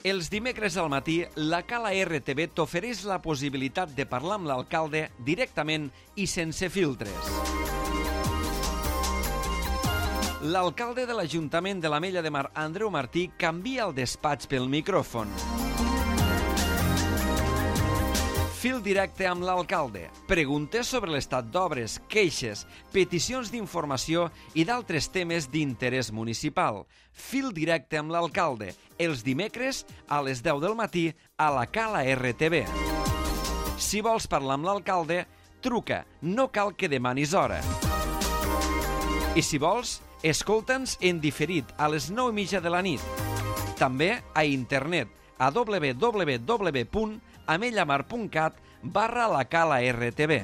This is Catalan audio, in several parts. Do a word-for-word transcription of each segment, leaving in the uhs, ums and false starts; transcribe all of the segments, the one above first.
Els dimecres al matí, la Cala R T V t'ofereix la possibilitat de parlar amb l'alcalde directament i sense filtres. L'alcalde de l'Ajuntament de l'Ametlla de Mar, Andreu Martí, canvia el despatx pel micròfon. Fil directe amb l'alcalde. Preguntes sobre l'estat d'obres, queixes, peticions d'informació i d'altres temes d'interès municipal. Fil directe amb l'alcalde. Els dimecres a les deu del matí a la Cala R T V. Si vols parlar amb l'alcalde, truca. No cal que demanis hora. I si vols, escolta'ns en diferit a les nou i mitja de la nit. També a internet a w w w punt amellamar punt cat barra la Cala R T V.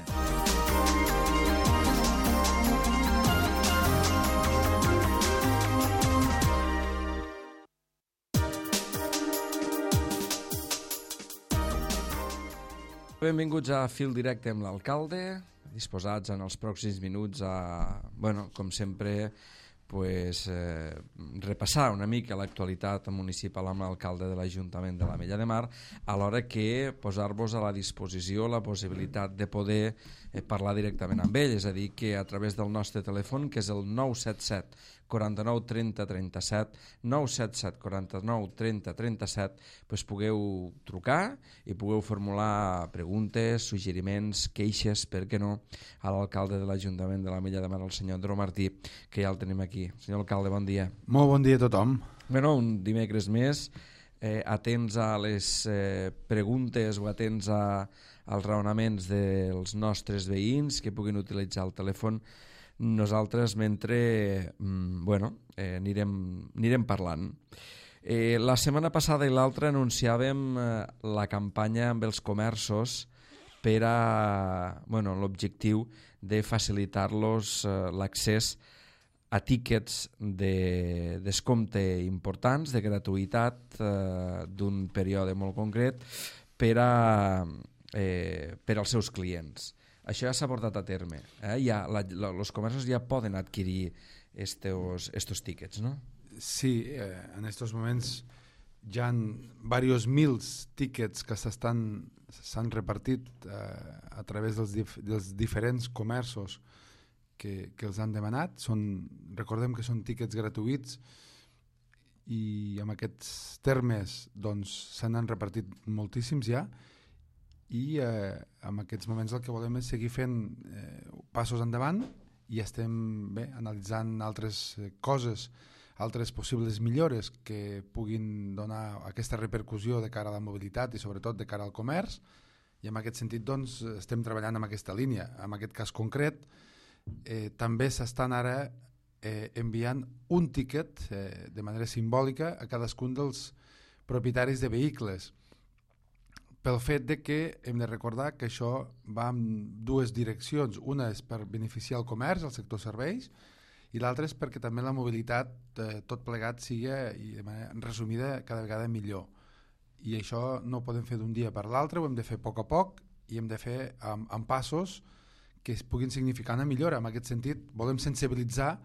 Benvinguts a Fil Directe amb l'alcalde, disposats en els pròxims minuts a, bueno, com sempre, pues, eh, repassar una mica l'actualitat municipal amb l'alcalde de l'Ajuntament de l'Ametlla de Mar, alhora que posar-vos a la disposició la possibilitat de poder eh, parlar directament amb ell, és a dir, que a través del nostre telèfon, que és el nou set set quaranta-nou trenta trenta-set, nou set set quaranta-nou trenta trenta-set, pues pugueu trucar i pugueu formular preguntes, suggeriments, queixes, per què no, a l'alcalde de l'Ajuntament de l'Ametlla de Mar, el senyor Andreu Martí, que ja el tenim aquí. Senyor alcalde, bon dia. Molt bon dia a tothom. Bueno, un dimecres més, eh, atents a les eh, preguntes o atents a, als raonaments dels nostres veïns que puguin utilitzar el telèfon. Nosaltres mentre mm, bueno, eh, anirem, anirem parlant. Eh, la setmana passada i l'altra anunciàvem eh, la campanya amb els comerços per a bueno, l'objectiu de facilitar-los eh, l'accés a tíquets de descompte importants, de gratuïtat eh, d'un període molt concret per, a, eh, per als seus clients. Això ja s'ha portat a terme. Eh? Ja, la, la, los comerços ja poden adquirir estos, estos tíquets, no? Sí, eh, en estos moments ja han varios mils tíquets que s'estan s'han repartit eh, a través dels, dif dels diferents comerços que, que els han demanat. Són, recordem que són tíquets gratuïts i amb aquests termes doncs, se n'han repartit moltíssims ja, i eh, en aquests moments el que volem és seguir fent eh, passos endavant i estem bé, analitzant altres eh, coses, altres possibles millores que puguin donar aquesta repercussió de cara a la mobilitat i sobretot de cara al comerç, i en aquest sentit doncs, estem treballant en aquesta línia. En aquest cas concret eh, també s'estan ara eh, enviant un tíquet eh, de manera simbòlica a cadascun dels propietaris de vehicles, pel fet de que hem de recordar que això va en dues direccions. Una és per beneficiar el comerç, el sector serveis, i l'altra és perquè també la mobilitat, eh, tot plegat, sigui, i de manera resumida, cada vegada millor. I això no ho podem fer d'un dia per l'altre, ho hem de fer a poc a poc i hem de fer amb, amb passos que es puguin significar una millora. En aquest sentit, volem sensibilitzar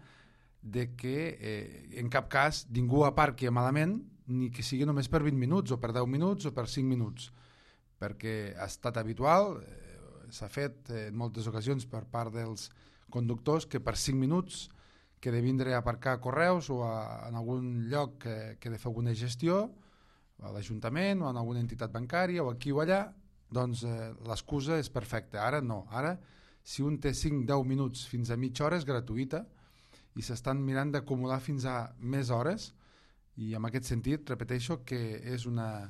de que eh, en cap cas ningú aparqui malament, ni que sigui només per vint minuts, o per deu minuts, o per cinc minuts, perquè ha estat habitual, eh, s'ha fet eh, en moltes ocasions per part dels conductors que per cinc minuts que de vindre a aparcar a Correus o a, en algun lloc que, que de fer alguna gestió, a l'Ajuntament o en alguna entitat bancària o aquí o allà, doncs eh, l'excusa és perfecta. Ara no, ara si un té cinc a deu minuts fins a mitja hora és gratuïta i s'estan mirant d'acumular fins a més hores, i en aquest sentit repeteixo que és una...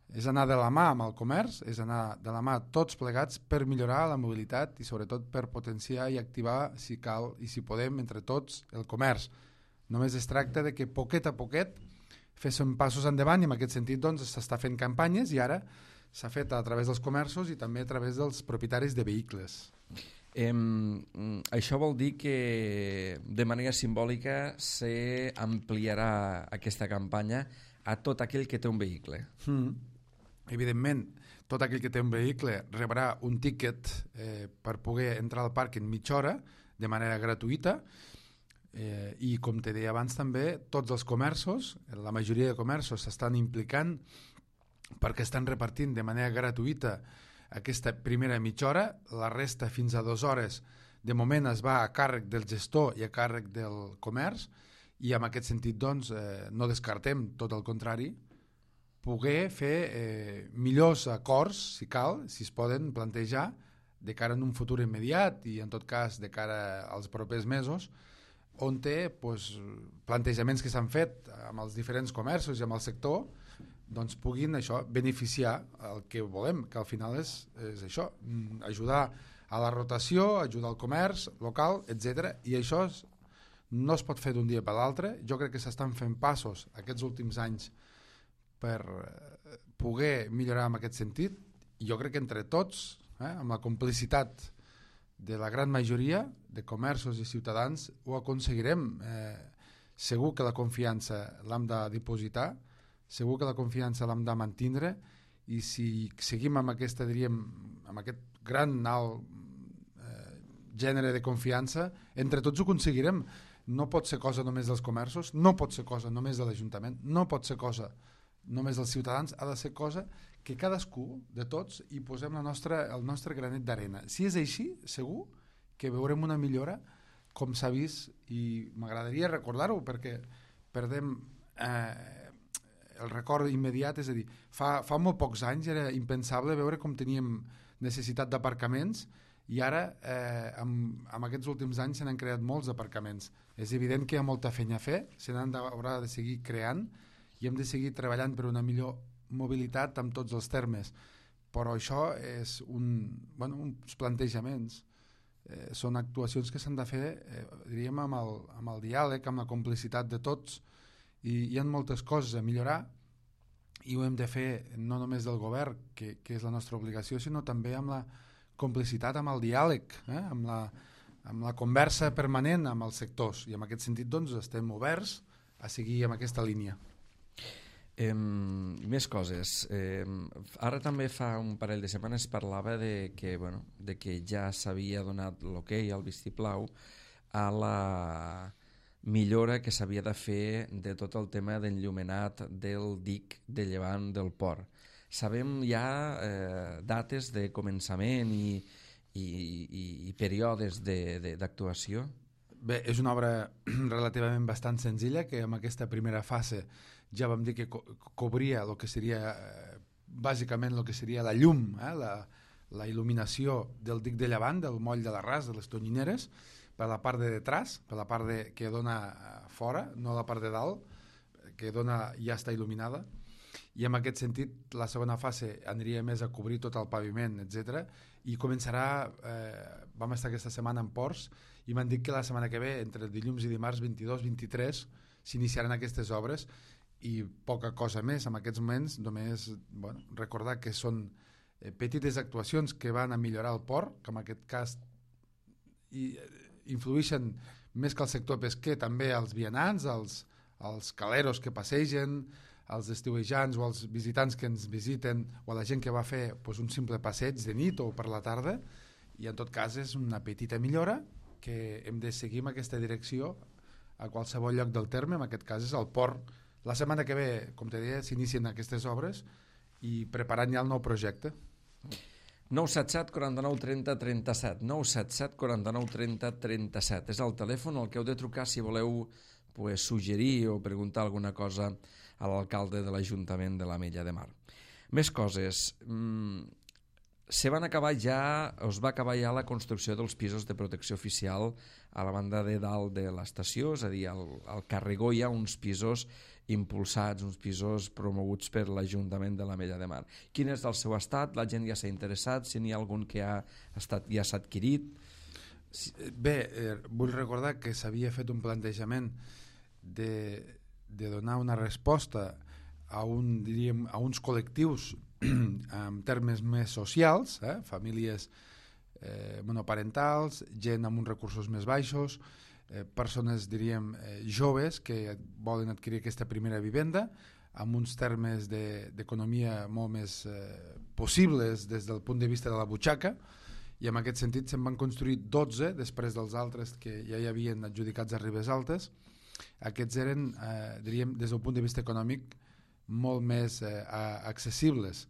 és anar de la mà amb el comerç, és anar de la mà tots plegats per millorar la mobilitat i sobretot per potenciar i activar, si cal i si podem, entre tots, el comerç. Només es tracta de que poquet a poquet féssim passos endavant, i en aquest sentit doncs, s'està fent campanyes, i ara s'ha fet a través dels comerços i també a través dels propietaris de vehicles. Eh, això vol dir que de manera simbòlica s'ampliarà aquesta campanya a tot aquell que té un vehicle. Mm. Evidentment, tot aquell que té un vehicle rebrà un tíquet eh, per poder entrar al parc en mitja hora de manera gratuïta. Eh, I com te deia abans també, tots els comerços, la majoria de comerços s'estan implicant perquè estan repartint de manera gratuïta aquesta primera mitja hora, la resta fins a dues hores de moment es va a càrrec del gestor i a càrrec del comerç, i en aquest sentit doncs, eh, no descartem, tot el contrari, poder fer eh, millors acords, si cal, si es poden plantejar de cara en un futur immediat i en tot cas de cara als propers mesos, on té pues, plantejaments que s'han fet amb els diferents comerços i amb el sector, doncs puguin això beneficiar el que volem, que al final és, és això, ajudar a la rotació, ajudar al comerç local, etcètera. I això és, no es pot fer d'un dia per l'altre. Jo crec que s'estan fent passos aquests últims anys per poder millorar en aquest sentit, i jo crec que entre tots, eh, amb la complicitat de la gran majoria de comerços i ciutadans, ho aconseguirem. Eh, segur que la confiança l'hem de dipositar, segur que la confiança l'hem de mantindre, i si seguim amb aquesta, diríem, amb aquest gran alt eh, gènere de confiança, entre tots ho aconseguirem. No pot ser cosa només dels comerços, no pot ser cosa només de l'Ajuntament, no pot ser cosa només dels ciutadans, ha de ser cosa que cadascú de tots hi posem la nostra, el nostre granet d'arena. Si és així, segur que veurem una millora, com s'ha vist, i m'agradaria recordar-ho perquè perdem eh, el record immediat, és a dir, fa, fa molt pocs anys era impensable veure com teníem necessitat d'aparcaments, i ara eh, amb, amb aquests últims anys se n'han creat molts aparcaments. És evident que hi ha molta feina a fer, se n'han d'haurà de seguir creant i hem de seguir treballant per una millor mobilitat amb tots els termes, però això és un, bueno, uns plantejaments, eh, són actuacions que s'han de fer eh, diríem amb el, amb el diàleg, amb la complicitat de tots, i hi ha moltes coses a millorar i ho hem de fer no només del govern, que, que és la nostra obligació, sinó també amb la complicitat, amb el diàleg, eh? amb, la, amb la conversa permanent amb els sectors, i en aquest sentit doncs, estem oberts a seguir amb aquesta línia. Eh, més coses. Eh, ara també fa un parell de setmanes parlava de que, bueno, de que ja s'havia donat l'ok, el vistiplau, a la millora que s'havia de fer de tot el tema d'enllumenat del dic de llevant del port. Sabem ja eh, dates de començament i, i, i, i períodes d'actuació? Bé, és una obra relativament bastant senzilla, que en aquesta primera fase ja vam dir que co cobria el que seria eh, bàsicament el que seria la llum, eh, la, la il·luminació del dic de llevant, del moll de l'Arràs, de les Tonyineres, per la part de detrás, per la part de, que dona fora, no la part de dalt, que dona, ja està il·luminada, i en aquest sentit la segona fase aniria més a cobrir tot el paviment, etcètera, i començarà, eh, vam estar aquesta setmana en Ports, i m'han dit que la setmana que ve, entre dilluns i dimarts vint-i-dos vint-i-tres, s'iniciaran aquestes obres, i poca cosa més en aquests moments, només bueno, recordar que són eh, petites actuacions que van a millorar el port, que en aquest cas i, influïxen més que el sector pesquer, també als vianants, als, als caleros que passegen, als estiuejants o als visitants que ens visiten, o a la gent que va fer pues, un simple passeig de nit o per la tarda, i en tot cas és una petita millora que hem de seguir en aquesta direcció a qualsevol lloc del terme, en aquest cas és el port. La setmana que ve, com te deia, s'inicien aquestes obres i preparant ja el nou projecte. nou set set, quaranta-nou, trenta, trenta-set nou set set, quaranta-nou, trenta, trenta-set és el telèfon al que heu de trucar si voleu pues, suggerir o preguntar alguna cosa a l'alcalde de l'Ajuntament de l'Ametlla de Mar. Més coses. Mm, se van acabar ja, es va acabar ja la construcció dels pisos de protecció oficial a la banda de dalt de l'estació, és a dir, al, al Carregó hi ha uns pisos impulsats, uns pisos promoguts per l'Ajuntament de l'Ametlla de Mar. Quin és el seu estat? La gent ja s'ha interessat? Si n'hi ha algun que ha estat, ja s'ha adquirit? Bé, eh, vull recordar que s'havia fet un plantejament de, de donar una resposta a, un, diríem, a uns col·lectius en termes més socials, eh? famílies eh, monoparentals, gent amb uns recursos més baixos, eh, persones, diríem, eh, joves que volen adquirir aquesta primera vivenda amb uns termes d'economia de, molt més eh, possibles des del punt de vista de la butxaca, i en aquest sentit se'n van construir dotze després dels altres que ja hi havien adjudicats a Ribes Altes. Aquests eren, eh, diríem, des del punt de vista econòmic molt més eh, accessibles.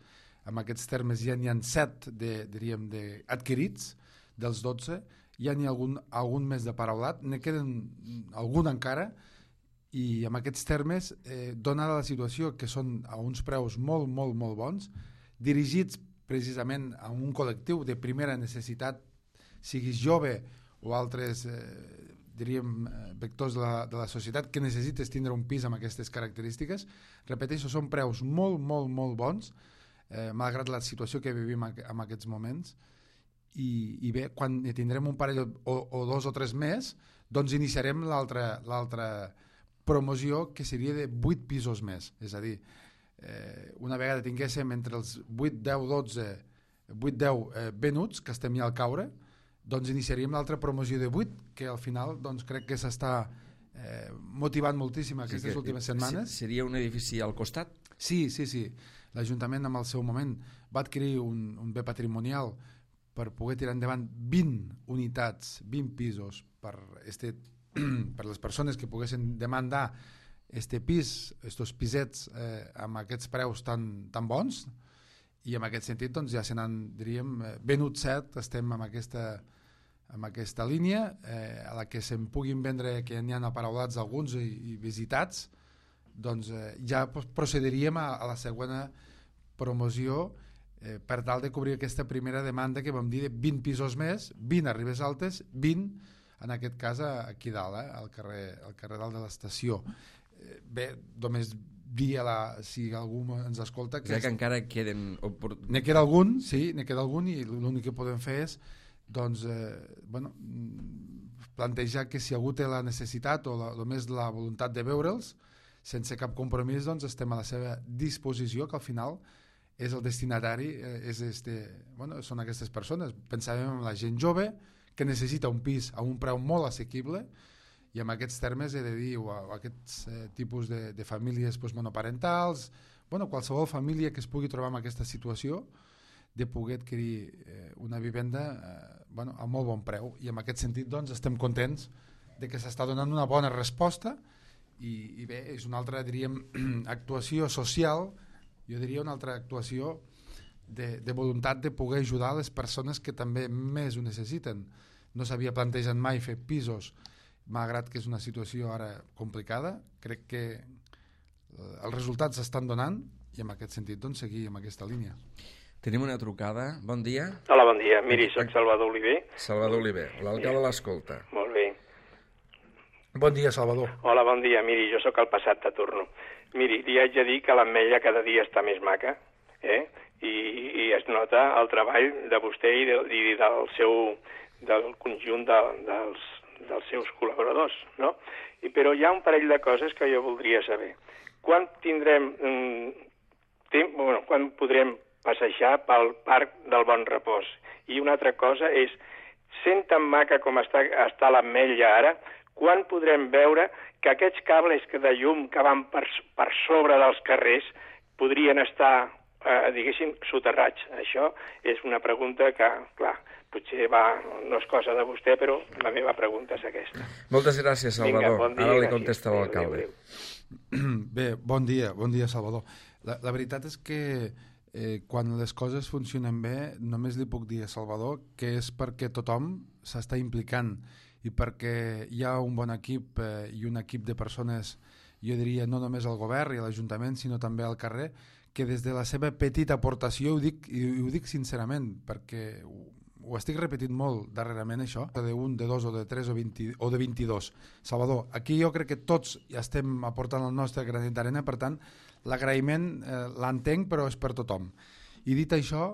En aquests termes ja n'hi ha set de, diríem, de adquirits dels dotze, ja n'hi ha algun, algun més de paraulat, ne queden algun encara, i en aquests termes, eh, donada la situació que són a uns preus molt, molt, molt bons, dirigits precisament a un col·lectiu de primera necessitat, siguis jove o altres eh, diríem, vectors de la, de la societat que necessites tindre un pis amb aquestes característiques. Repeteixo, són preus molt, molt, molt bons, eh, malgrat la situació que vivim en aquests moments, i, i bé, quan tindrem un parell o, o dos o tres més, doncs iniciarem l'altra l'altra promoció, que seria de vuit pisos més, és a dir, eh, una vegada tinguéssim entre els vuit, deu, dotze, vuit, deu eh, venuts, que estem ja al caure, doncs iniciaríem l'altra promoció de vuit, que al final doncs, crec que s'està eh, motivant moltíssim aquestes sí que, últimes setmanes. Seria un edifici al costat? Sí, sí, sí. L'Ajuntament en el seu moment va adquirir un, un bé patrimonial per poder tirar endavant vint unitats, vint pisos per este per les persones que poguessin demandar este pis, estos pisets eh, amb aquests preus tan, tan bons, i en aquest sentit doncs, ja se n'han, diríem, venut set, estem en aquesta, en aquesta línia, eh, a la que se'n puguin vendre, que n'hi ha aparaulats alguns i, i visitats, doncs eh, ja procediríem a, a la següent promoció eh, per tal de cobrir aquesta primera demanda que vam dir de vint pisos més, vint a Ribes Altes, vint en aquest cas aquí dalt, eh, al, carrer, al carrer dalt de l'estació. Eh, bé, només dir a la, si algú ens escolta... Que, que encara queden... Ne queda algun, sí, ne queda algun, i l'únic que podem fer és doncs, eh, bueno, plantejar que si algú té la necessitat o la, només la voluntat de veure'ls, sense cap compromís, doncs estem a la seva disposició, que al final és el destinatari, eh, és este, bueno, són aquestes persones. Pensàvem en la gent jove, que necessita un pis a un preu molt assequible, i en aquests termes he de dir o a, a aquests eh, tipus de, de famílies pues, monoparentals, bueno, qualsevol família que es pugui trobar en aquesta situació de poder adquirir eh, una vivenda eh, bueno, a molt bon preu, i en aquest sentit doncs, estem contents de que s'està donant una bona resposta, i, i bé, és una altra, diríem, actuació social, jo diria una altra actuació de, de voluntat de poder ajudar les persones que també més ho necessiten. No s'havia plantejat mai fer pisos, malgrat que és una situació ara complicada. Crec que els resultats s'estan donant, i en aquest sentit doncs, seguir amb aquesta línia. Tenim una trucada. Bon dia. Hola, bon dia. Miri, soc Salvador Oliver. Salvador Oliver, l'alcalde l'escolta. Molt bé. Bon dia, Salvador. Hola, bon dia. Miri, jo sóc el passat de turno. Miri, li haig de dir que l'ametlla cada dia està més maca, eh? I, i es nota el treball de vostè i, de, i del seu del conjunt de, dels, dels seus col·laboradors, no? I, però hi ha un parell de coses que jo voldria saber. Quan tindrem mm, temps, bueno, quan podrem passejar pel Parc del Bon Repòs? I una altra cosa és, sent tan maca com està, està l'ametlla ara, quan podrem veure que aquests cables de llum que van per, per sobre dels carrers podrien estar, eh, diguéssim, soterrats? Això és una pregunta que, clar, potser va, no és cosa de vostè, però la meva pregunta és aquesta. Moltes gràcies, Salvador. Vinga, bon dia, ara li gràcies. contesta l'alcalde. Bé, bon dia, bon dia, Salvador. La, la veritat és que eh, quan les coses funcionen bé, només li puc dir a Salvador que és perquè tothom s'està implicant i perquè hi ha un bon equip eh, i un equip de persones, jo diria, no només al govern i a l'Ajuntament, sinó també al carrer, que des de la seva petita aportació, ho dic, i ho dic sincerament, perquè ho, ho estic repetint molt darrerament, això, de un, de dos o de tres o, vint, o de vint-i-dos. Salvador, aquí jo crec que tots ja estem aportant el nostre granet d'arena, per tant, l'agraïment eh, l'entenc, però és per tothom. I dit això,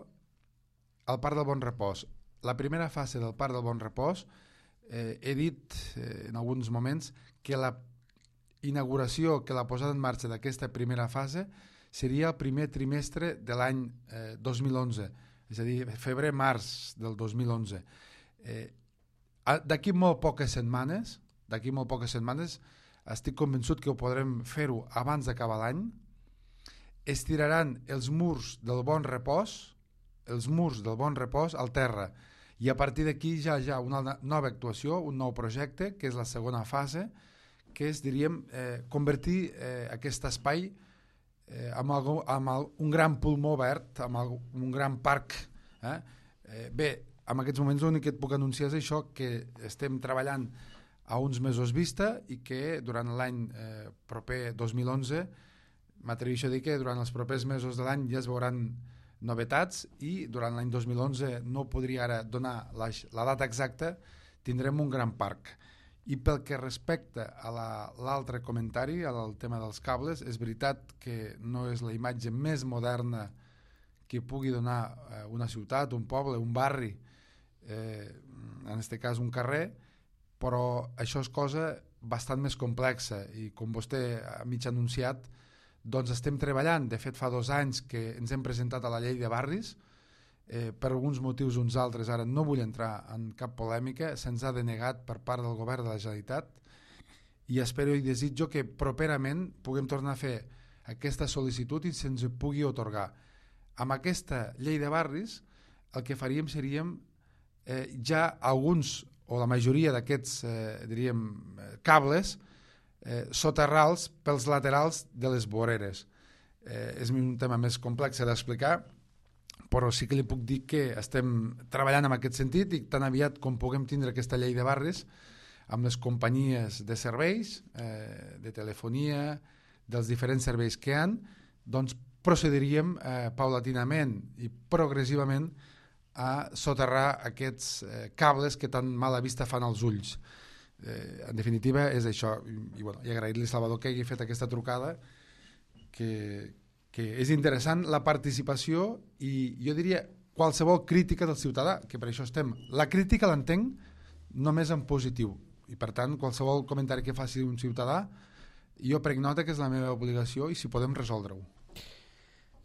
el Parc del Bon Repòs. La primera fase del Parc del Bon Repòs, eh, he dit eh, en alguns moments que la inauguració, que la posada en marxa d'aquesta primera fase seria el primer trimestre de l'any eh, dos mil onze, és a dir, febrer-març del dos mil onze. Eh, d'aquí molt poques setmanes, d'aquí molt poques setmanes, estic convençut que ho podrem fer-ho abans d'acabar l'any. Es tiraran els murs del Bon Repòs, els murs del Bon Repòs al terra, I a partir d'aquí ja hi ha una nova actuació, un nou projecte, que és la segona fase, que és, diríem, eh, convertir eh, aquest espai eh, amb, algo, amb el, un gran pulmó verd, amb el, un gran parc. Eh? Eh, bé, en aquests moments l'únic que et puc anunciar és això, que estem treballant a uns mesos vista i que durant l'any eh, proper dos mil onze m'atreveixo a dir que durant els propers mesos de l'any ja es veuran novetats i durant l'any dos mil onze no podria ara donar la, la data exacta, tindrem un gran parc. I pel que respecta a l'altre la, comentari, al tema dels cables, és veritat que no és la imatge més moderna que pugui donar eh, una ciutat, un poble, un barri, eh, en aquest cas un carrer, però això és cosa bastant més complexa i com vostè ha mig anunciat, doncs estem treballant. De fet, fa dos anys que ens hem presentat a la llei de barris, eh, per alguns motius uns altres, ara no vull entrar en cap polèmica, se'ns ha denegat per part del govern de la Generalitat i espero i desitjo que properament puguem tornar a fer aquesta sol·licitud i se'ns pugui otorgar. Amb aquesta llei de barris el que faríem seríem eh, ja alguns o la majoria d'aquests eh, diríem cables eh, soterrals pels laterals de les voreres. Eh, és un tema més complex d'explicar, però sí que li puc dir que estem treballant en aquest sentit i tan aviat com puguem tindre aquesta llei de barris amb les companyies de serveis, eh, de telefonia, dels diferents serveis que hi ha, doncs procediríem eh, paulatinament i progressivament a soterrar aquests eh, cables que tan mala vista fan als ulls. Eh, en definitiva és això, i, i, bueno, i agrair-li Salvador que hagi fet aquesta trucada, que, que és interessant la participació i jo diria qualsevol crítica del ciutadà, que per això estem. La crítica l'entenc només en positiu i per tant qualsevol comentari que faci un ciutadà jo prenc nota que és la meva obligació i si podem resoldre-ho.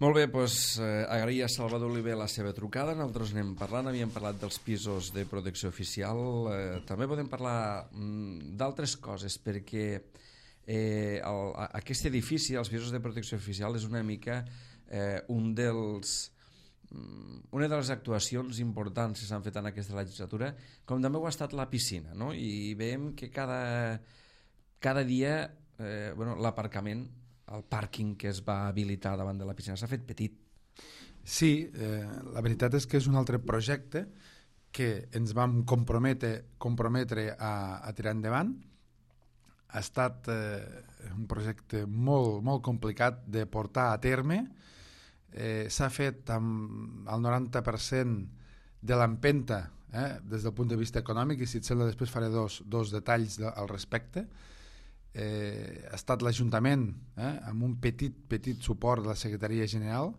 Molt bé, doncs eh, agrair a Salvador Oliver la seva trucada. Nosaltres anem parlant, havíem parlat dels pisos de protecció oficial, eh, també podem parlar mm, d'altres coses, perquè eh, el, aquest edifici, els pisos de protecció oficial, és una mica eh, un dels, mm, una de les actuacions importants que s'han fet en aquesta legislatura, com també ho ha estat la piscina, no? I veiem que cada, cada dia eh, bueno, l'aparcament, el pàrquing que es va habilitar davant de la piscina s'ha fet petit. Sí, eh, la veritat és que és un altre projecte que ens vam comprometre, comprometre a, a tirar endavant. Ha estat eh, un projecte molt, molt complicat de portar a terme. Eh, s'ha fet amb el noranta per cent de l'empenta eh, des del punt de vista econòmic i si et sembla després faré dos, dos detalls de, al respecte. Eh, ha estat l'Ajuntament eh, amb un petit, petit suport de la Secretaria General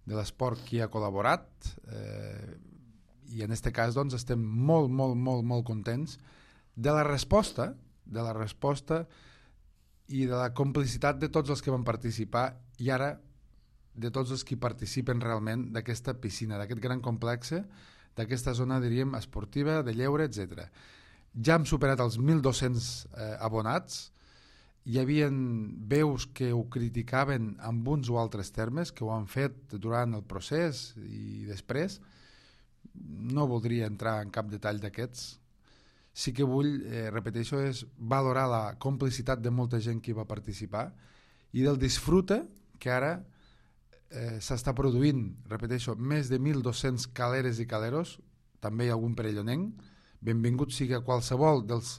de l'Esport qui ha col·laborat eh, i en aquest cas doncs, estem molt, molt, molt, molt contents de la resposta de la resposta i de la complicitat de tots els que van participar i ara de tots els que participen realment d'aquesta piscina, d'aquest gran complex, d'aquesta zona, diríem, esportiva, de lleure, etcètera. Ja hem superat els mil dos-cents eh, abonats. Hi havia veus que ho criticaven amb uns o altres termes, que ho han fet durant el procés i després. No voldria entrar en cap detall d'aquests. Sí que vull, eh, repeteixo, és valorar la complicitat de molta gent que hi va participar i del disfrute que ara eh, s'està produint, repeteixo, més de mil dos-cents caleres i caleros, també hi ha algun perellonenc. Benvingut sigui a qualsevol dels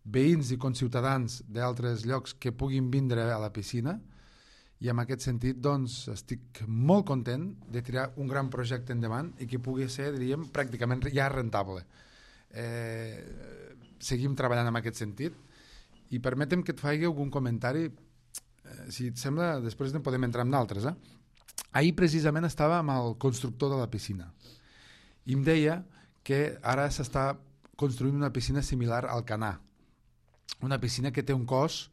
veïns i conciutadans d'altres llocs que puguin vindre a la piscina i en aquest sentit doncs estic molt content de tirar un gran projecte endavant i que pugui ser, diríem, pràcticament ja rentable. Eh, seguim treballant en aquest sentit i permetem que et faci algun comentari, eh, si et sembla després en podem entrar en d'altres. Eh? Ahir precisament estava amb el constructor de la piscina i em deia que ara s'està construint una piscina similar al Canà, una piscina que té un cost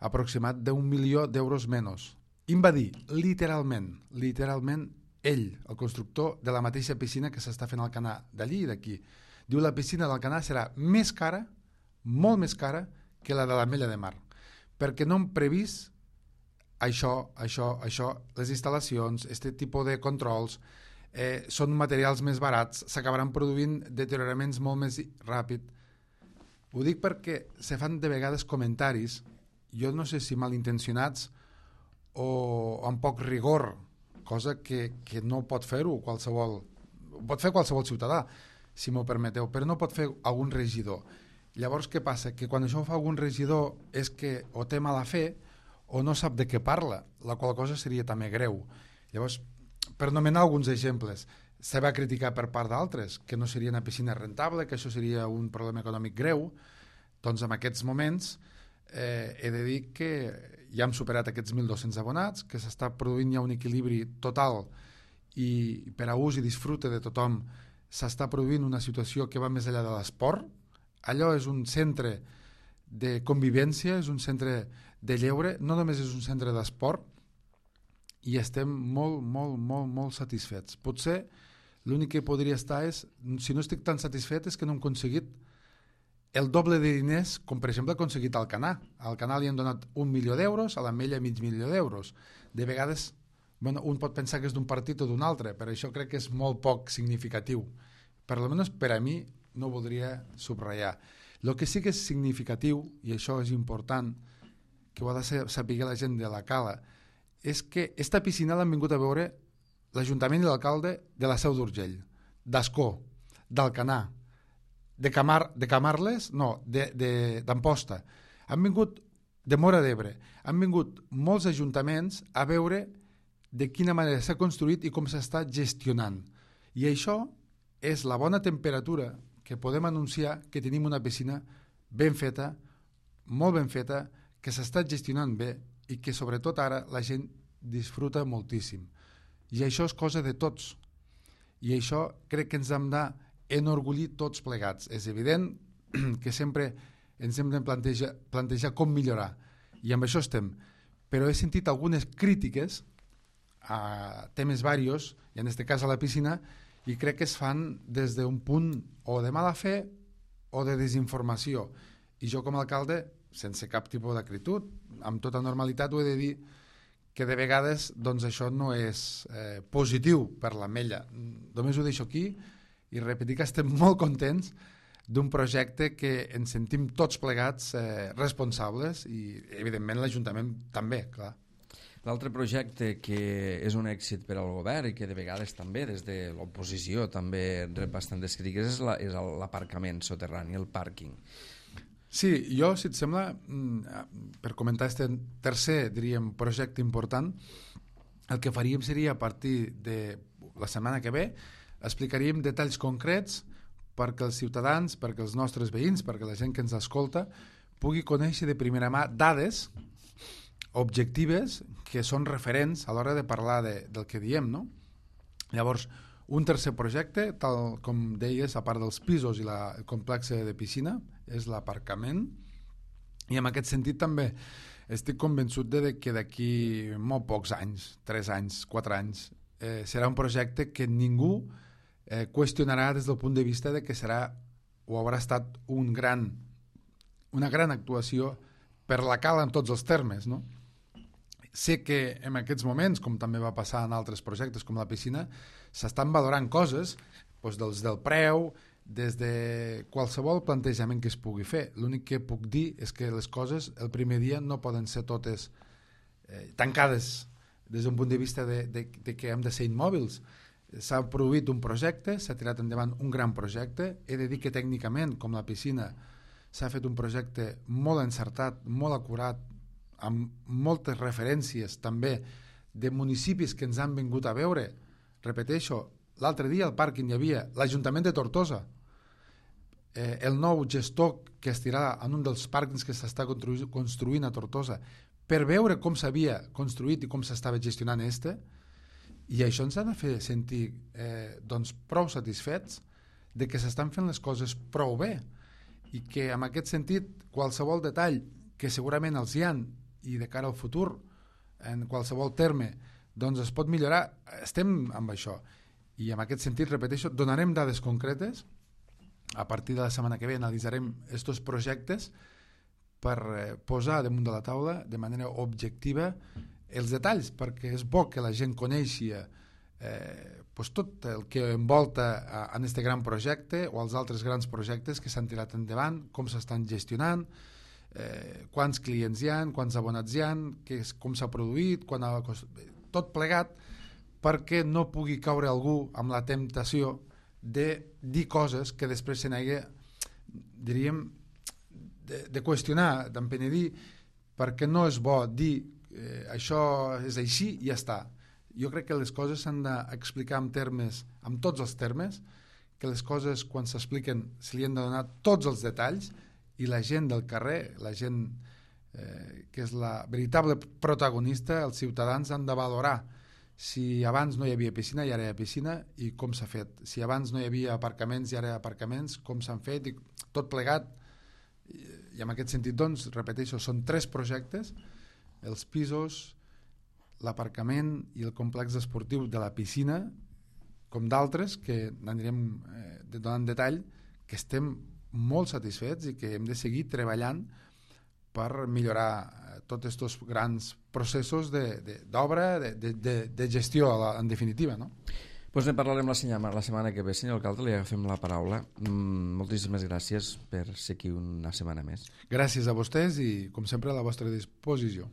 aproximat d'un milió d'euros menys. I em va dir, literalment, literalment, ell, el constructor de la mateixa piscina que s'està fent al Canà, d'allí i d'aquí, diu la piscina del Canà serà més cara, molt més cara, que la de l'Ametlla de Mar, perquè no hem previst això, això, això, les instal·lacions, aquest tipus de controls, eh, són materials més barats, s'acabaran produint deterioraments molt més ràpid. Ho dic perquè se fan de vegades comentaris, jo no sé si malintencionats o amb poc rigor, cosa que, que no pot fer-ho qualsevol, pot fer qualsevol ciutadà, si m'ho permeteu, però no pot fer algun regidor. Llavors, què passa? Que quan això ho fa algun regidor és que o té mala fe o no sap de què parla, la qual cosa seria també greu. Llavors, per nomenar alguns exemples, se va criticar per part d'altres que no seria una piscina rentable, que això seria un problema econòmic greu. Doncs en aquests moments eh, he de dir que ja hem superat aquests mil dos-cents abonats, que s'està produint ja un equilibri total i per a ús i disfrute de tothom s'està produint una situació que va més enllà de l'esport. Allò és un centre de convivència, és un centre de lleure, no només és un centre d'esport, i estem molt, molt, molt, molt satisfets. Potser l'únic que podria estar és, si no estic tan satisfet, és que no hem aconseguit el doble de diners, com per exemple ha aconseguit al Canà. Al Canà li han donat un milió d'euros, a l'Ametlla mig milió d'euros. De vegades, bueno, un pot pensar que és d'un partit o d'un altre, però això crec que és molt poc significatiu. Per almenys per a mi no ho voldria subratllar. El que sí que és significatiu, i això és important, que ho ha de saber la gent de la Cala, és que esta piscina l'han vingut a veure l'Ajuntament i l'alcalde de la Seu d'Urgell, d'Ascó, d'Alcanar, de, Camar, de Camarles, no, d'Amposta. Han vingut de Móra d'Ebre. Han vingut molts ajuntaments a veure de quina manera s'ha construït i com s'està gestionant. I això és la bona temperatura que podem anunciar que tenim una piscina ben feta, molt ben feta, que s'està gestionant bé i que sobretot ara la gent disfruta moltíssim. I això és cosa de tots. I això crec que ens hem d'enorgullir tots plegats. És evident que sempre ens hem de plantejar, plantejar com millorar. I amb això estem. Però he sentit algunes crítiques a temes varios, i en aquest cas a la piscina, i crec que es fan des d'un punt o de mala fe o de desinformació. I jo com a alcalde, sense cap tipus d'acritud, amb tota normalitat ho he de dir que de vegades doncs, això no és eh, positiu per l'Ametlla. Només ho deixo aquí i repetir que estem molt contents d'un projecte que ens sentim tots plegats eh, responsables i evidentment l'Ajuntament també, clar. L'altre projecte que és un èxit per al govern i que de vegades també des de l'oposició també rep bastantes crítiques és, la, és l'aparcament soterrani, el pàrquing. Sí, jo, si et sembla, per comentar aquest tercer, diríem, projecte important, el que faríem seria a partir de la setmana que ve, explicaríem detalls concrets perquè els ciutadans, perquè els nostres veïns, perquè la gent que ens escolta pugui conèixer de primera mà dades objectives que són referents a l'hora de parlar de, del que diem, no? Llavors, un tercer projecte, tal com deies, a part dels pisos i la, el complex de piscina, és l'aparcament. I en aquest sentit també estic convençut de que d'aquí molt pocs anys, tres anys, quatre anys, eh, serà un projecte que ningú eh, qüestionarà des del punt de vista de que serà o haurà estat un gran, una gran actuació per la Cala en tots els termes, no? Sé que en aquests moments, com també va passar en altres projectes com la piscina, s'estan valorant coses doncs, dels del preu, des de qualsevol plantejament que es pugui fer. L'únic que puc dir és que les coses el primer dia no poden ser totes eh, tancades des d'un punt de vista de, de, de que hem de ser immòbils. S'ha produït un projecte, s'ha tirat endavant un gran projecte. He de dir que tècnicament, com la piscina, s'ha fet un projecte molt encertat, molt acurat, amb moltes referències també de municipis que ens han vingut a veure. Repeteixo, l'altre dia al pàrquing hi havia l'Ajuntament de Tortosa, eh, el nou gestor que estirà en un dels pàrquings que s'està constru- construint a Tortosa per veure com s'havia construït i com s'estava gestionant este, i això ens ha de fer sentir eh, doncs prou satisfets de que s'estan fent les coses prou bé i que en aquest sentit qualsevol detall que segurament els hi han i de cara al futur en qualsevol terme doncs es pot millorar, estem amb això i en aquest sentit, repeteixo, donarem dades concretes a partir de la setmana que ve analitzarem aquests projectes per eh, posar damunt de la taula de manera objectiva els detalls, perquè és bo que la gent coneixi eh, pues tot el que envolta en aquest gran projecte o els altres grans projectes que s'han tirat endavant, com s'estan gestionant, eh, quants clients hi ha, quants abonats hi ha, que és, com s'ha produït, quan ha cost... tot plegat, perquè no pugui caure algú amb la temptació de dir coses que després se n'hagi, diríem, de, de qüestionar, d'empenedir, perquè no és bo dir eh, això és així i ja està. Jo crec que les coses s'han d'explicar en termes, en tots els termes, que les coses quan s'expliquen se li han de donar tots els detalls i la gent del carrer, la gent eh, que és la veritable protagonista, els ciutadans han de valorar si abans no hi havia piscina i ara hi ha piscina i com s'ha fet, si abans no hi havia aparcaments i ara hi ha aparcaments, com s'han fet i tot plegat. I en aquest sentit, doncs, repeteixo, són tres projectes, els pisos, l'aparcament i el complex esportiu de la piscina, com d'altres que n'anirem eh, donant detall, que estem molt satisfets i que hem de seguir treballant per millorar tots aquests grans processos d'obra, de, de, de, de gestió, en definitiva, no? Doncs ne parlarem la setmana, la setmana que ve. Senyor alcalde, li agafem la paraula. Mm, moltíssimes gràcies per ser aquí una setmana més. Gràcies a vostès i, com sempre, a la vostra disposició.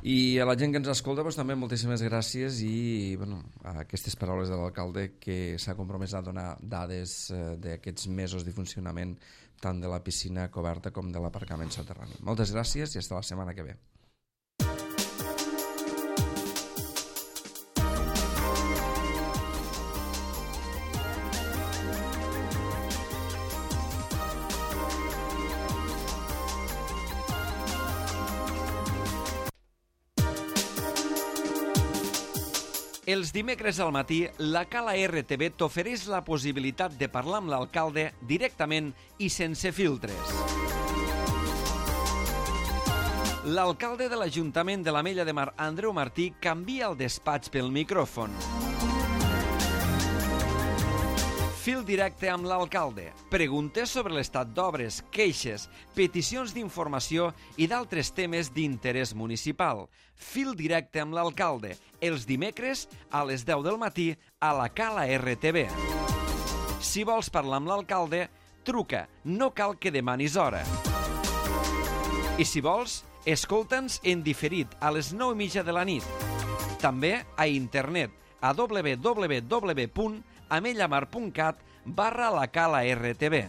I a la gent que ens escolta, doncs, també moltíssimes gràcies i bueno, a aquestes paraules de l'alcalde que s'ha compromès a donar dades eh, d'aquests mesos de funcionament tant de la piscina coberta com de l'aparcament soterrani. Moltes gràcies i fins la setmana que ve. Els dimecres al matí, la Cala R T V t'ofereix la possibilitat de parlar amb l'alcalde directament i sense filtres. L'alcalde de l'Ajuntament de l'Ametlla de Mar, Andreu Martí, canvia el despatx pel micròfon. Fil directe amb l'alcalde. Preguntes sobre l'estat d'obres, queixes, peticions d'informació i d'altres temes d'interès municipal. Fil directe amb l'alcalde. Els dimecres a les deu del matí a la Cala R T V. Si vols parlar amb l'alcalde, truca. No cal que demanis hora. I si vols, escolta'ns en diferit a les nou i mitja de la nit. També a internet a w w w punt amellamar punt cat barra la Cala R T V.